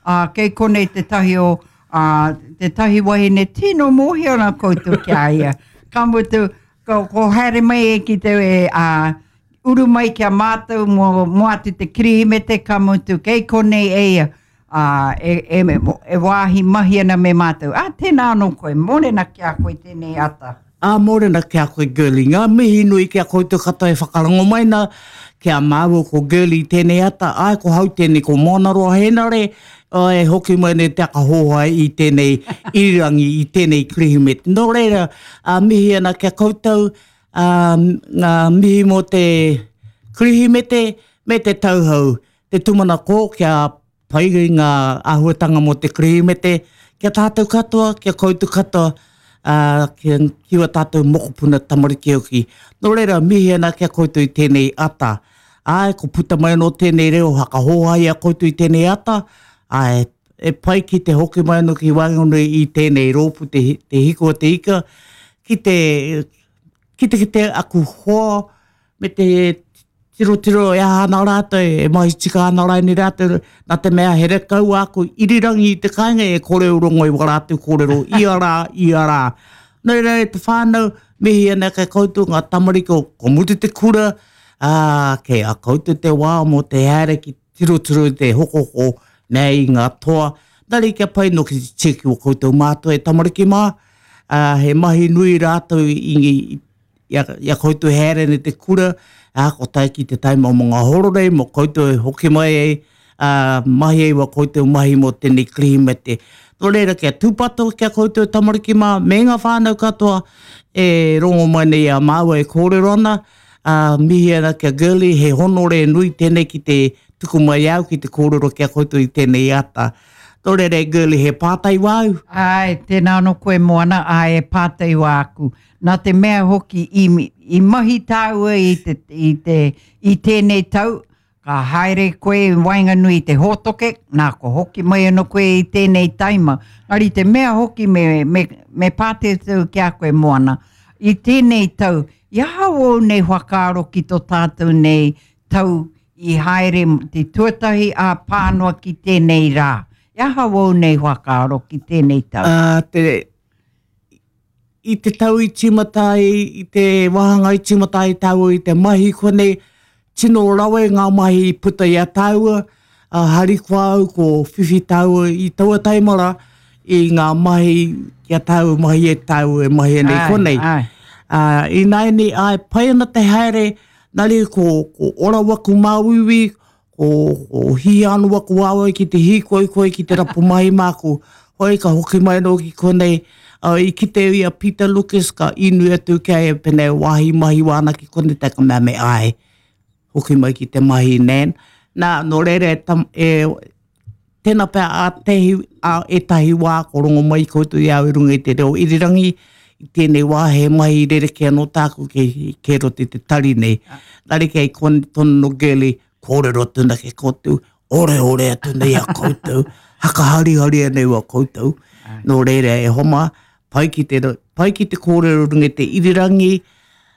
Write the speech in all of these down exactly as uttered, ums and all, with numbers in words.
Ā, kei konei tētahi o, ā, tētahi wahine tino mōhio ana koutou ki a ia. Ka mutu, ko, ko haere mai e ki te, ā, uru mai ki a mātou mō, mō atu te Kirihimete, ka mutu, kei konei e ia, ā, e, e, e wāhi mahi ana me mātou. Ā, tēnā anō koe, mōrena ki a koe tēnei ata. Ā, mōrena ki a koe Girlie. Ngā mihi nui ki a koutou katoa e whakarongo mai na ki a māua ko Girlie i tēnei ata. Āe, ko hau tēnei, ko Moanaroa Henare, e hoki mai nei te aka hōhai i tēnei irirangi, i tēnei Kirihimete. Nō reira, ā, mihi ana ki a koutou, ā, ngā mihi mō te Kirihimete me te tauhou, te tūmanako kia pai ngā āhuatanga mō te Kirihimete, ki a tātou katoa, ki a koutou katoa, ā, ki, ki wā tātou mokopuna tamariki hoki. Nō reira, mihi ana ki a koutou i tēnei ata. Āe, ko puta mai anō tēnei reo hakahōhai i a koutou i tēnei ata, āe, e pai ki te hoki mai anō ki waenganui i tēnei rōpū te, te hiko o te ika, ki te, ki te kite aku hoa me te tirotiro e aha ana rātou, e mahi tika ana raini rātou, nā te mea he rekau āku irirangi i te kāinga e kore u rongo i wā rātou kōrero ia rā, ia rā. Nō reira e te whānau, mihi ana kei koutou ngā tamariki o ko mutu te kura, ā, kei a koutou te wā mō te haere ki tirotiro i te hokohoko nei i ngā toa. Nā reira kia pai noki te tiaki o koutou mātua e tamariki mā, ā, he mahi nui rātou i, i i a, i a koutou haere nei te kura, ā, ko tae ki te taima mō ngā hororei, mō koutou e hoki mai ai, ā, mahi ai wā koutou mahi mō tēnei Kirihimete. Nō reira, kia tūpato ki a koutou tamariki mā, me ngā whānau katoa e rongo mai nei i a māua e kōrero ana, ā, mihi ana ki a Girlie, he honore nui tēnei ki te tuku mai au ki te kōrero ki a koutou i tēnei ata. Nō reira e Girlie, he pātai wāu? Āe, tēnā anō koe Moana, āe e pātai wāku. Nā te mea hoki i, i mahi tāua i, te, i, te, i tēnei tau, ka haere koe i waenganui i te hōtoke, nā ko hoki mai anō koe i tēnei taima. Engari te mea hoki me, me, me pātētau ki a koe Moana, i tēnei tau, i aha wōu nei whakaaro ki tō tātou nei tau i haere te tuatahi ā pānoa ki tēnei rā? I aha wōu nei whakaaro ki tēnei tau? Uh, te, i te tau i tīmata ai, i te wāhanga i tīmata ai tāua i te mahi konei, tino rawe ngā mahi i puta i a tāua, a harikoa au ko whiwhi tāua i taua taima rā, i ngā mahi ki a tāua mahi e tāua e mahi nei konei. Ai, ai. Uh, ināianei, ai, pai ana te haere, nari ko, ko ora waku māuiui, ko, ko hī anō waku waewae ki te hīkoikoi, ki te rapu mahi māku. Hoi, ka hoki mai anō ki konei, uh, i kite i a Peter Lucas, ka inui atu ki a ia pēnei wāhi mahi wāna ki konei, tā ka mea me ai, hoki mai ki te mahi nan. Nā, nō reira e, tam, e tēnā pea a tehi, a ētahi wā ko rongo mai koutou i au i runga i te reo irirangi, i tēnei wā he mahi rerekē anō tāku ke, ke roto i te tari nei. Nā reira kei konei tonu no Girlie, kōrero atu ana ki koutou, oreore atu nei a koutou, hakaharihari nei a koutou. Nō reira e homa, pai ki te, pai ki te kōrero runga i te irirangi,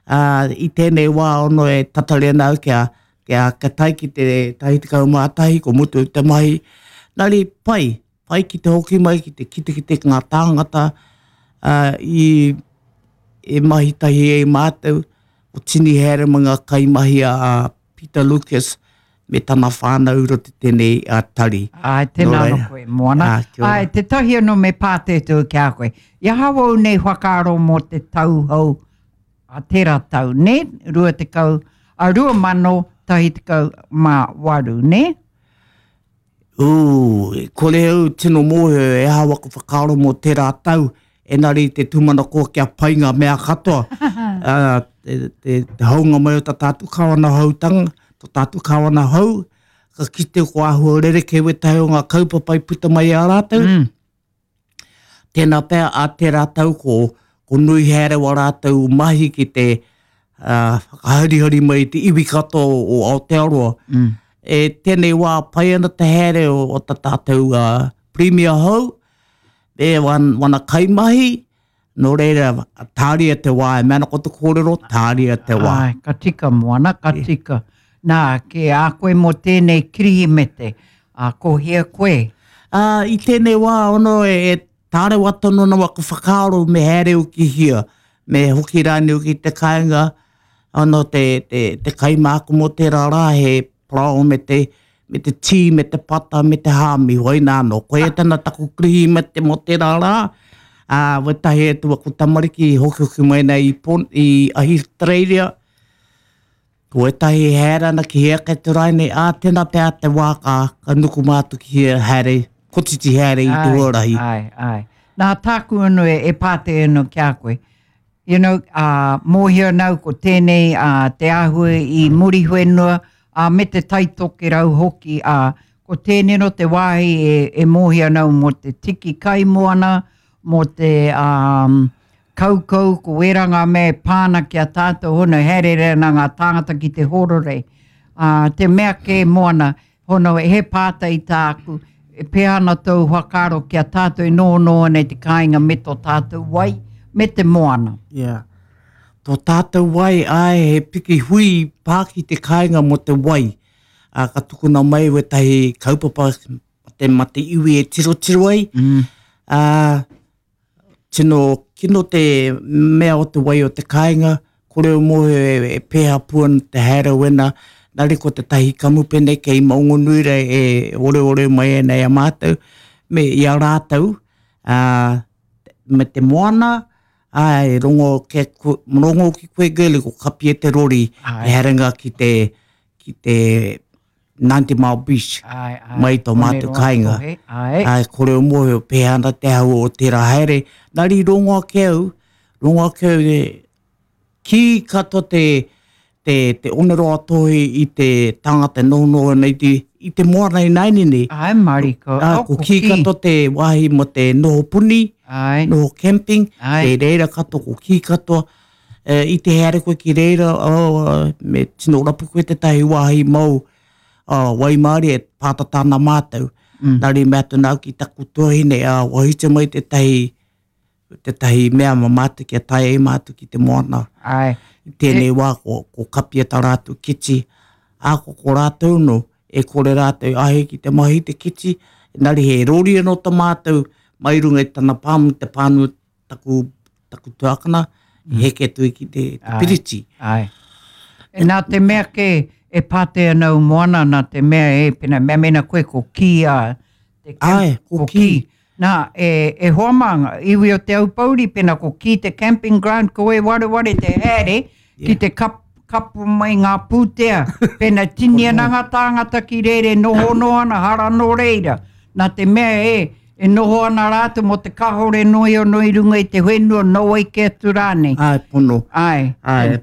ā, i tēnei wā ono e tatari ana au kia, kia, kia tae ki te tahi tekau mā tahi, ko mutu te mahi. Nā reira, pai, pai ki te hoki mai, ki te kitekite ki ngā tāngata, ā, i, e mahi tahi ai mātou, ko tini haere ma ngā kaimahi a Peter Lucas me tana whānau i roto i tēnei a tari. Āe, tēnā anō koe, Moana. Ā, kia ora. Āe, tētahi anō me pātētou ki a koe. I aha wau nei whakaaro mō te tau hou a tērā tau, nē? Rua tekau, a rua mano tahi tekau mā waru, nē? Ū, e kore au tino mōhio e aha waku whakaaro mō tērā tau, engari te tūmanako kia pai ngā mea katoa. Ā, te, te, te hounga mai o tā tātou kāwana houtanga, tō tātou kāwana hou, ka kite ko āhua rerekē wētahi o ngā kaupapa i puta mai i a rātou. Mm. Tēnā pea a tērā tau ko, ko nui haere wā rātou mahi ki te uh, whakaharihari mai i te iwi katoa o Aotearoa. Mm. E tēnei wā pai ana te haere o, o tā tātou uh, Premier hou, me wan, wana kaimahi, nō reira, tāria te wā, e mea ana ko te kōrero, tāria te wā. Āe, ka tika Moana, ka tika. Nā, ki a koe mō tēnei Kirihimete, ā, ko hea koe? Uh, I tēnei wā ono e, e tārewa tonu na waku whakaaro me haere uki hia, me hoki rāni uki te kāinga, ono te, te, te kaimāku mō tērā rā he parao me te, me te tī, me te pata, me te hāmi, hoi nāno. Koe e tana taku krihi me te mō tērā rā, ā, wetahi e tu aku tamariki hoki hoki mai nei i, Pon, i Ahitereiria, ko etahi haere ana ki hea kei te raine, ā, tēnā pea te wā ka, ka nuku mātu ki hea haere, kotiti haere i te huarahi. Ai, ai. Nā tāku anu e, e pāte anu ki a koe. You know, uh, mōhio nau ko tēnei uh, te āhua i Muriwhenua, uh, me te Taitokerau hoki, uh, ko tēnei no te wāhi e, e mōhio nau mō te tiki kaimoana, mō te um, kaukau, ko wera ngā mea e pāna ki a tātou hono, haere ana ngā tāngata ki te hororei. Uh, te mea kē moana, hono he pātai tāku, e pēhea ana tōu whakaaro ki a tātou e noho ana i te kāinga me tō tātou wai, me te moana. Yeah. Tō tātou wai, ai, he piki hui pā ki te kāinga mō te wai. Uh, ka tukuna mai wetahi kaupapa te mate iwi e tirotiro ai. Mm. Uh, tino kino te mea o te wai o te kāinga, kore o mōhio e, e pēhea puana te haere wena, nare ko te tahi kamupene kei Maunganui rei e ore ore mai e nei a mātou, me i a rātou, uh, me te moana, ai, rongo, ke, rongo ki koe girlie, ko kapia te rori, Ai. e haerenga ki te, ki te ninety Mile Beach, Ai, ai. mai tō mātou kāinga. Ai. Ai, kore o mōhio, pēhea ana te hau o tērā haere. Nari rongo ake au, rongo ake au, e, ki katoa te, te, te oneroa tohi i te tangata noho ana i te, i te moana i nainini. Ai, mariko. Ah, Oh, ko ki katoa te wāhi mo te noho puni, Ai. noho camping, Ai. te reira katoa, ko ki katoa. E, i te haere koe ki reira, oh, me tino rapu koe tētahi wāhi mau, oh, waimārie e pātata ana mātou. Mm. Nari mea atu nau ki taku tuahine, ah, wahite mai tētahi, tētahi mea ma mātou kia tae e mātou ki te moana. Ai. I tēnei wā ko, ko kapia tā rātou kiti, ā, ko ko rātou no, e kore rātou ahe ki te mahi te kiti, nari he rori anō tā mātou, mai runga i tana pāmu, te pānu taku, taku tuakana, mm. heke tui ki te, te Ai. piriti. Ai. E nā te mea ke e pāte ana u moana, nā te mea e, pena mea mena koe ko ki a te camp, Ai, ko ki. Nā, e, e hoa mā, iwi o te Aupouri, pena ko ki te camping ground, ko e wareware te haere, Yeah. ki te kap, kapu mai ngā pūtea, pena tini ana ngā tāngata ki reire, noho noa ana, hara nō reira. Nā te mea e, e noho ana rātou mō te kahore noi o noi runga i te whenua, no ai ke atu rānei. Ai, pono. Ai. Ai,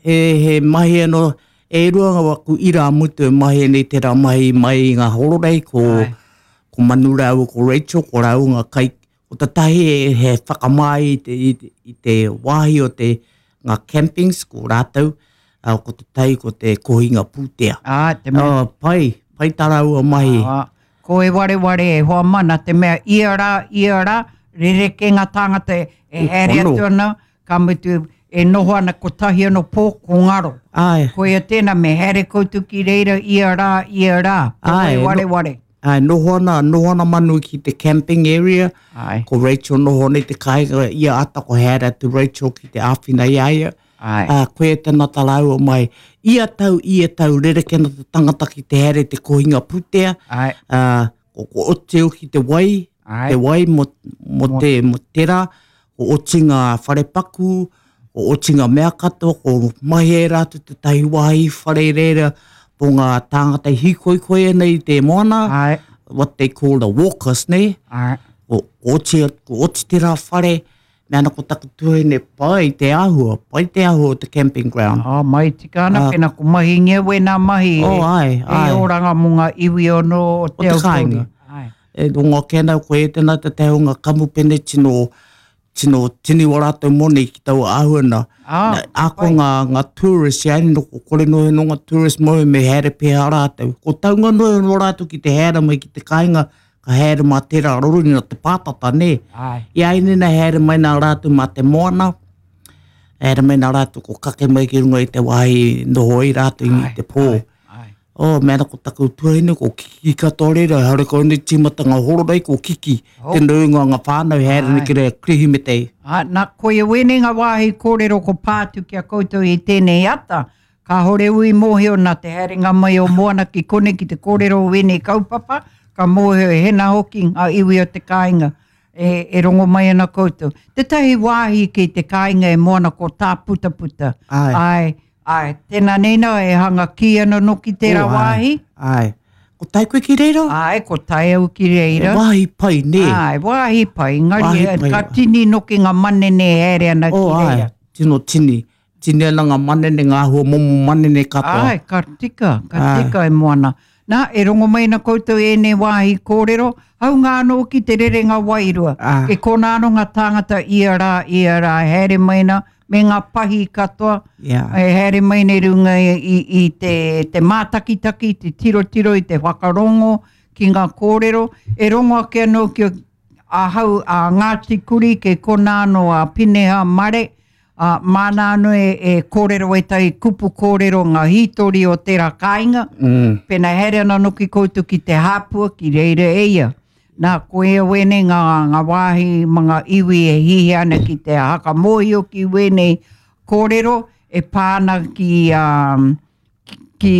he, he mahi anō, e rua ngā waku ira mutu e mahi nei tērā mahi mai i ngā hororei, ko, Ai. ko Manu rāua, ko Rachel, ko rāua ngā kai, ko tatahi e, he whakamai i te, i te, i te wāhi o te ngā campings, ko rātou, uh, ko te tai, ko te kohinga pūtea. Ā, te mea. Oh, pai, pai tā rāua mahi. Ā, ko e wareware e hoa mana, te mea ia rā, ia rā, rereke ngā tāngata e, e haere Pono. atu ana, ka mutu e noho ana kotahi anō pō ko ngaro. Ai, Koia tēnā me haere koutou ki reira ia rā, ia rā. Ko Ai, e no- wareware. ai, noho ana, noho ana Manu ki te camping area, Ai. ko Rachel noho nei te kāinga, ia ata ko haere atu Rachel ki te āwhina i a ia. Ai. Ā, koe e tēnā tā rāua mai. Ia tau, ia tau, rereke ana te tangata ki te haere te kohinga pūtea. Ai. Ā, ko, ko oteo ki te wai, Ai. te wai mo, mo, te, mo tērā, ko oti ngā wharepaku, ko oti ngā mea katoa, ko mahi e rātou te tahi wāhi whare reira, po ngā tāngata hīkoikoi ana i te moana, Ai. what they call the walkers, ne? Ai. Ko oti, ko oti tērā whare, me ana ko taku tuahine pai te āhua, pai te āhua o te camping ground. Oh, mai tika ana, Ah. pena ko mahi ngia wēnā mahi Oh, e, ai, e ai. oranga mō ngā iwi ono o te O te Aupouri. kāinga. Ai. E rongo ake ana koe e tēnā te te hunga kamupene tino, tino tini o rātou moni ki taua āhua na. Ah, Na, ako ngā, ngā tourist, ia no, ko kore noe no ngā tourist moe me haere pēhea rātou. Ko taunga noe no rātou ki te haere mai ki te kāinga, ka haere mā tērā rori na te pātata, ne? Ai. Ia ine na haere mai nā rātou mā te moana, haere mai nā rātou ko kake mai ki runga i te wāhi noho i rātou i Ai, te pō. ai, ai. Oh, mea ko taku tuahine, ko Kiki katoa reira, haere kau nei tīmatanga hororei, ko Kiki. Oh. Te nuinga o ngā whānau, haere nei ki reira Kirihimete. Ā, nā, koia wēnei ngā wāhi kōrero ko pā atu ki a koutou i tēnei ata. Kāhore ui mōhio nā te haerenga mai o Moana ki konei ki te kōrero o wēnei kaupapa, ka mōhio e hena hoki ngā iwi o te kāinga e, e rongo mai ana koutou. Tētahi wāhi ki te kāinga e Moana ko Tāputaputa. Āe. Āe, āe, tēnā neina e hanga kī ana noki tērā Oh, āe, wāhi. Āe. Ko tae koe ki reira? Āe, ko tae au ki reira. Wāhi pai, nē. Āe, wāhi pai. Engari, Wāhi pai. ka tini noki ngā manene e haere ana ki Oh, āe, reira. tino tini. Tini ana ngā manene, ngā āhua momo manene katoa. Āe, ka tika, ka Āe. tika e Moana. Nā, e rongo mai ana koutou ēnei wāhi kōrero, haunga anō ki te rerenga wairua. Ā. Ke kōna anō ngā tāngata ia rā, ia rā, haere mai ana, me ngā pahi katoa, Yeah. e haere mai nei runga i, i, i te, te mātakitaki, te tirotiro, i te whakarongo ki ngā kōrero. E rongo ake anō ki ahau a Ngāti Kuri, ke kōna anō a Pineha Mare, a māna anō e, e kōrero ētahi kupu kōrero ngā hītori o tērā kāinga. Mm. Pēnā haere ana noki koutou ki te hāpua, ki reira e ia. Nā, ko ia wēnei ngā, ngā wāhi ma ngā iwi e hihi ana ki te hakamōhio ki wēnei kōrero e pā ana ki, um, ki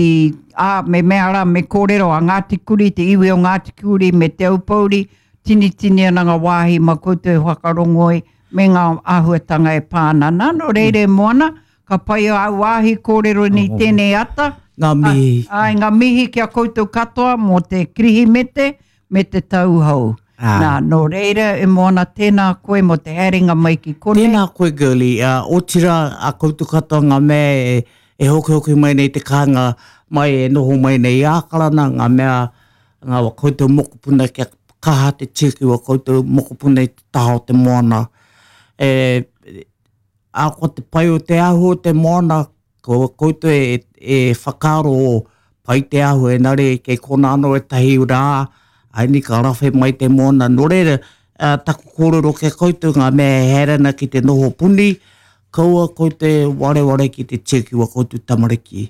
ā, me mea rā, me kōrero a Ngāti Kuri, te iwi o Ngāti Kuri me Te Aupōuri, tini tini ana ngā wāhi ma koutou e whakarongoi me ngā āhuatanga e pā ana. Nā, nō reira e Moana, ka pai au wāhi kōrero ni tēnei ata. Ngā mihi. Ai, ngā mihi ki a koutou katoa mō te Kirihimete me te tau hou. Ā. Nā, nō reira e Moana, tēnā koe mō te haerenga mai ki konei. Tēnā koe, girlie. Uh, otira a koutou katoa ngā mea e, e hokihoki mai nei te kānga mai e noho mai nei i Ākarana, ngā mea ngā wa koutou mokopuna kia kaha te tiaki wa koutou mokopuna i te taha o te moana. E, a ko te pai o te ahu o te moana, ko koutou e, e whakaaro o pai te ahu e nare kei kona anō e tahi rā, ai ni ka rawhe mai te moana. Nō reira, uh, taku kōrero ke koutou ngā mea e haere ana ki te noho puni, kaua koutou e wareware ki te tiaki wa koutou tamariki.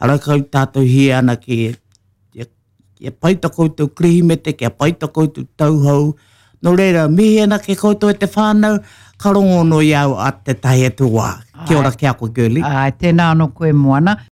Ara kau tātou hia ana ki kia, kia pai ta koutou Kirihimete, kia pai ta koutou tauhou. Nō reira, mihi ana ke koutou e te whānau, ka rongo no i au a te tahi atu wā. Kia ora ki a koe, girlie. Ai, tēnā anō koe Moana.